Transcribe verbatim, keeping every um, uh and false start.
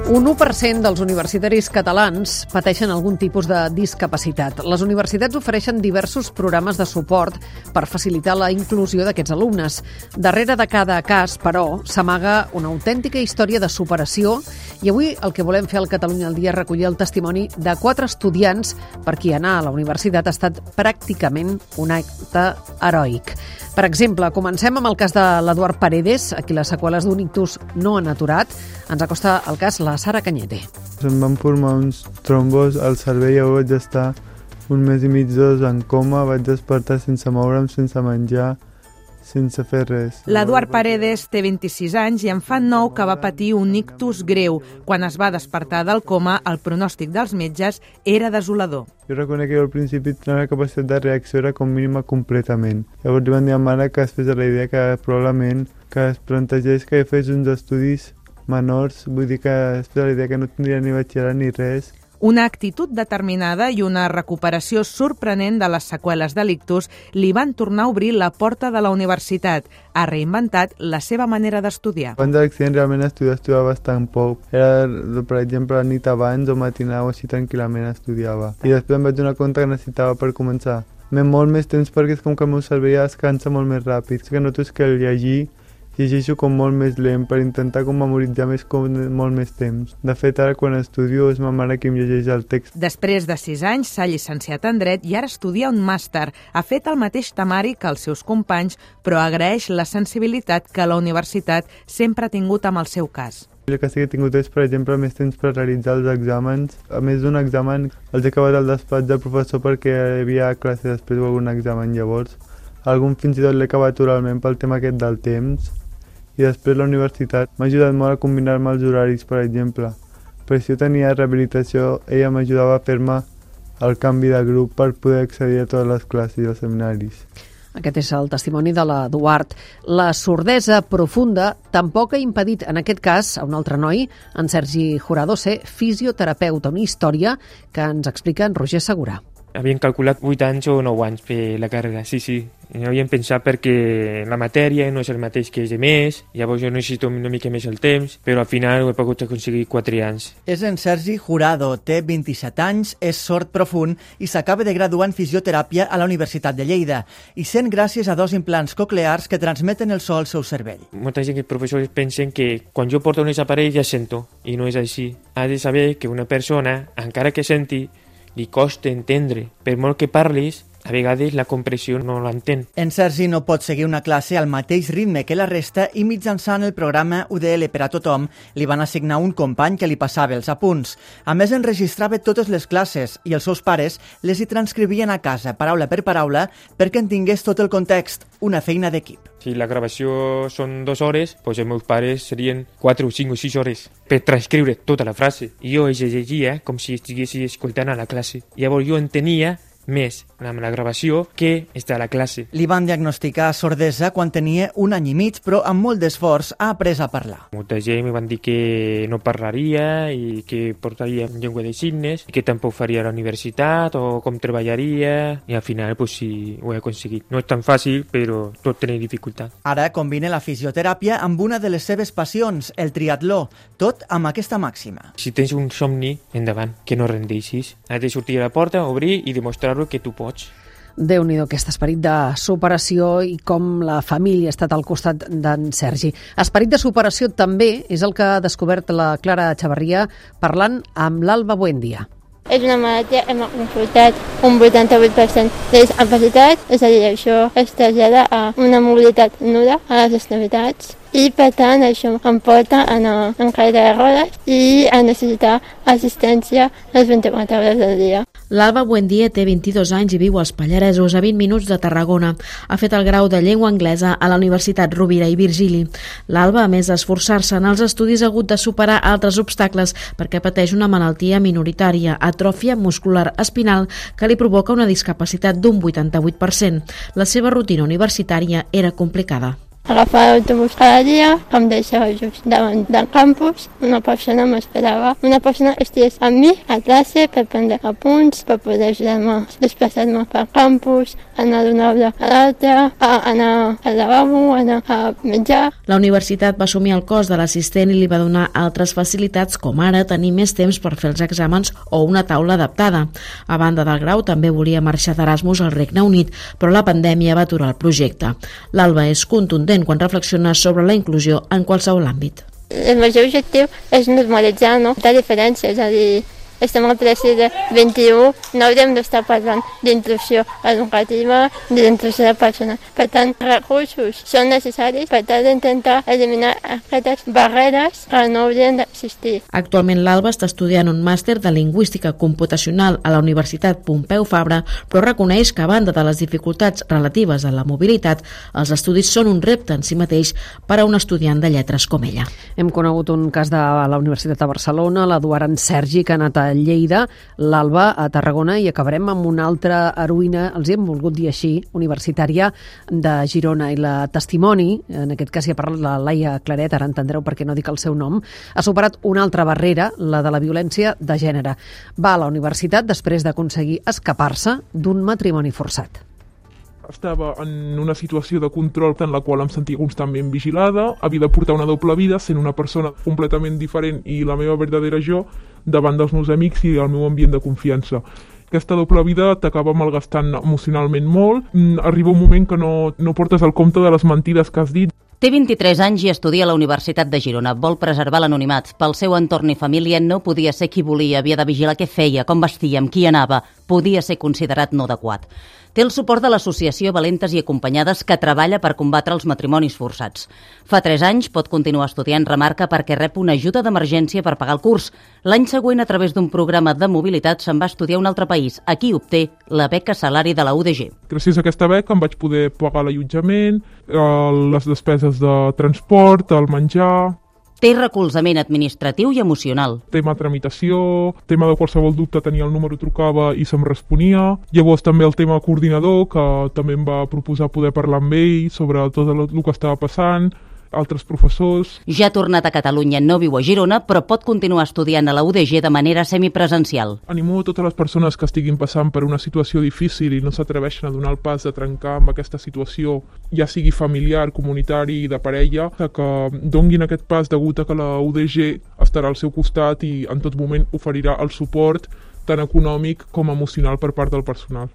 Un u per cent dels universitaris catalans pateixen algun tipus de discapacitat. Les universitats ofereixen diversos programes de suport per facilitar la inclusió d'aquests alumnes. Darrere de cada cas, però, s'amaga una autèntica història de superació i avui el que volem fer al Catalunya al Dia és recollir el testimoni de quatre estudiants per qui anar a la universitat ha estat pràcticament un acte heroic. Per exemple, comencem amb el cas de l'Eduard Paredes, a qui les seqüeles d'un ictus no han aturat. Ens acosta el cas la Sara Cañete. Em van formar uns trombos al cervell i vaig estar un mes i mig, dos en coma, vaig despertar sense moure'm, sense menjar, sense fer res. L'Eduard Paredes té vint-i-sis anys i en fa nou que va patir un ictus greu. Quan es va despertar del coma, el pronòstic dels metges era desolador. Jo reconec que al principi la meva capacitat de reacció era com mínima completament. Llavors li van dir a mare que es fes la idea que probablement que es plantegés que fes uns estudis menors, vull dir que es fes la idea que no tindria ni batxillerat ni res. Una actitud determinada i una recuperació sorprenent de les seqüeles de l'ictus li van tornar a obrir la porta de la universitat. Ha reinventat la seva manera d'estudiar. Abans de l'accident realment estudiar, estudiava bastant poc. Era, per exemple, la nit abans o matinada o així tranquil·lament estudiava. I després em vaig donar compte que necessitava per començar. M'he molt més temps perquè és com que el meu cervell descansa molt més ràpid. És que noto que el llegir llegeixo com molt més lent per intentar com memoritzar més com molt més temps. De fet, ara quan estudio és ma mare qui em llegeix el text. Després de sis anys s'ha llicenciat en Dret i ara estudia un màster. Ha fet el mateix temari que els seus companys, però agraeix la sensibilitat que la universitat sempre ha tingut amb el seu cas. El que sí que he tingut és, per exemple, més temps per realitzar els exàmens. A més d'un examen, els he acabat al despatx del professor perquè hi havia classe després o algun examen llavors. Algun fins i tot l'he acabat oralment pel tema aquest del temps. I després la universitat m'ha ajudat molt a combinar-me els horaris, per exemple. Per si jo tenia rehabilitació, ella m'ajudava a fer-me el canvi de grup per poder accedir a totes les classes i els seminaris. Aquest és el testimoni de l'Eduard. La sordesa profunda tampoc ha impedit, en aquest cas, a un altre noi, en Sergi Jurado, ser fisioterapeuta, una història que ens explica en Roger Segura. Havien calculat vuit anys o nou anys per la carrera, sí, sí. No havien pensat perquè la matèria no és el mateix que és de més, llavors jo necessito una mica més el temps, però al final ho he pogut aconseguir quatre anys. És en Sergi Jurado, té vint-i-set anys, és sord profund i s'acaba de graduar en fisioteràpia a la Universitat de Lleida i sent gràcies a dos implants coclears que transmeten el so al seu cervell. Molta gent, els professors pensen que quan jo porto un aparell ja sento, i no és així. Ha de saber que una persona, encara que senti, li costa entendre. Per molt que parlis, a vegades la compressió no l'entén. En Sergi no pot seguir una classe al mateix ritme que la resta i mitjançant el programa U D L per a tothom li van assignar un company que li passava els apunts. A més, enregistrava totes les classes i els seus pares les hi transcrivien a casa, paraula per paraula, perquè en tingués tot el context, una feina d'equip. Si la gravació són dues hores, doncs els meus pares serien quatre o cinc o sis hores per transcriure tota la frase. I jo els llegia com si estiguessi escoltant a la classe. Llavors jo entenia més amb la gravació que està a la classe. Li van diagnosticar sordesa quan tenia un any i mig, però amb molt d'esforç ha après a parlar. Molta gent em van dir que no parlaria i que portaria llengua de signes i que tampoc faria a la universitat o com treballaria i al final pues, sí, ho he aconseguit. No és tan fàcil, però tot té dificultat. Ara combina la fisioteràpia amb una de les seves passions, el triatló, tot amb aquesta màxima. Si tens un somni, endavant, que no rendeixis. Has de sortir a la porta, obrir i demostrar que tu pots. Déu-n'hi-do, aquest esperit de superació i com la família ha estat al costat d'en Sergi. Esperit de superació també és el que ha descobert la Clara Echevarria parlant amb l'Alba Buendia. És una malaltia, hem consultat un vuitanta-vuit per cent de discapacitat, és a dir, això es trasllada a una mobilitat nul·la a les extremitats i per tant això em porta a anar en caire de rodes i a necessitar assistència les vint-i-quatre hores del dia. L'Alba Buendia té vint-i-dos anys i viu als Pallaresos, a vint minuts de Tarragona. Ha fet el grau de llengua anglesa a la Universitat Rovira i Virgili. L'Alba, a més d'esforçar-se en els estudis, ha hagut de superar altres obstacles perquè pateix una malaltia minoritària, atròfia muscular espinal, que li provoca una discapacitat d'un vuitanta-vuit per cent. La seva rutina universitària era complicada. agafar l'autobús cada dia, que em deixava just davant del campus. Una persona m'esperava. Una persona estigués amb mi a classe per prendre apunts, per poder ajudar-me a desplaçar-me pel campus, anar d'una aula a l'altra, anar al lavabo, anar a menjar. La universitat va assumir el cost de l'assistent i li va donar altres facilitats, com ara tenir més temps per fer els exàmens o una taula adaptada. A banda del grau, també volia marxar d'Erasmus al Regne Unit, però la pandèmia va aturar el projecte. L'Alba és contundent quan reflexiona sobre la inclusió en qualsevol àmbit. El major objectiu és normalitzar, no? La diferència, és a dir, estem al segle vint-i-u, no hauríem d'estar parlant d'inclusió educativa ni d'inclusió de persones. Per tant, recursos són necessaris per tal d'intentar eliminar aquestes barreres que no haurien d'existir. Actualment l'Alba està estudiant un màster de Lingüística Computacional a la Universitat Pompeu Fabra, però reconeix que a banda de les dificultats relatives a la mobilitat, els estudis són un repte en si mateix per a un estudiant de lletres com ella. Hem conegut un cas de la Universitat de Barcelona, l'Eduard en Sergi, que ha anat a Lleida, l'Alba a Tarragona, i acabarem amb una altra heroïna, els hem volgut dir així, universitària de Girona, i la testimoni, en aquest cas hi ha parlat la Laia Claret, ara entendreu per què no dic el seu nom, ha superat una altra barrera, la de la violència de gènere. Va a la universitat després d'aconseguir escapar-se d'un matrimoni forçat. Estava en una situació de control en la qual em sentia constantment vigilada, havia de portar una doble vida sent una persona completament diferent i la meva verdadera jo davant dels meus amics i el meu ambient de confiança. Aquesta doble vida t'acaba malgastant emocionalment molt, arriba un moment que no, no portes el compte de les mentides que has dit. Té vint-i-tres anys i estudia a la Universitat de Girona. Vol preservar l'anonimat. Pel seu entorn i família no podia ser qui volia, havia de vigilar què feia, com vestia, amb qui anava. Podia ser considerat no adequat. Té el suport de l'associació Valentes i Acompanyades, que treballa per combatre els matrimonis forçats. Fa tres anys pot continuar estudiant, remarca, perquè rep una ajuda d'emergència per pagar el curs. L'any següent, a través d'un programa de mobilitat, se'n va estudiar a un altre país. Aquí obté la beca salari de la U D G. Gràcies a aquesta beca em vaig poder pagar l'allotjament, les despeses de transport, el menjar. Té recolzament administratiu i emocional. Tema tramitació, tema de qualsevol dubte, tenia el número, trucava i se'm responia. Llavors també el tema coordinador, que també em va proposar poder parlar amb ell sobre tot el que estava passant, altres professors. Ja ha tornat a Catalunya, no viu a Girona, però pot continuar estudiant a la U D G de manera semipresencial. Animo a totes les persones que estiguin passant per una situació difícil i no s'atreveixen a donar el pas de trencar amb aquesta situació, ja sigui familiar, comunitari i de parella, que donguin aquest pas degut a que la U D G estarà al seu costat i en tot moment oferirà el suport tant econòmic com emocional per part del personal.